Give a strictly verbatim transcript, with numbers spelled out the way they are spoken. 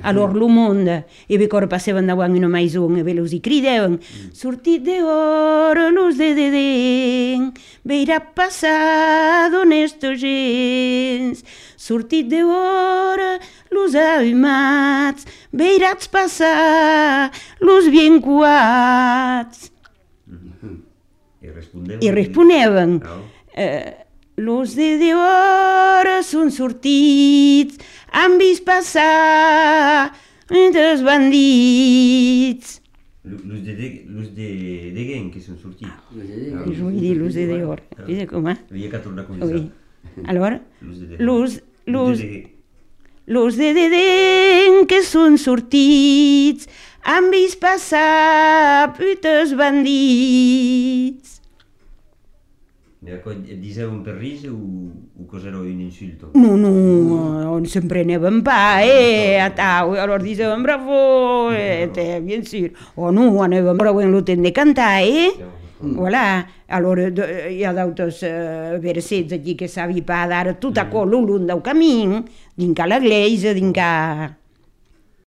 Allora lo mondo, e vi cor passavano davanti una maison, e ve lo si cridevano, sortit de ora, luz de dedem, veirà passado nesto gens, sortit de ora, los almats, veirats passar, los bien cuats. I respondeven? I responeven, eh, los de d'hora són sortits, han vist passar els bandits. Los de Degen, que són sortits? Jo vull dir los de d'hora. Vés com, eh? Havia que tornar a començar. Allora, Los los de Degen, que són sortits, han vist passar els bandits. Diceven per risa o cos'era un insulto? No, no, on se'n preneven pa, eh, a tau, allora diceven bravo, eh, te, bien sûr. O no, anàvem bravo en l'hotel de cantar, eh? Voilà, allora hi ha d'autres versets aquí que sabi pa d'ara, tot a col l'un del camí, dinca l'església, dinca...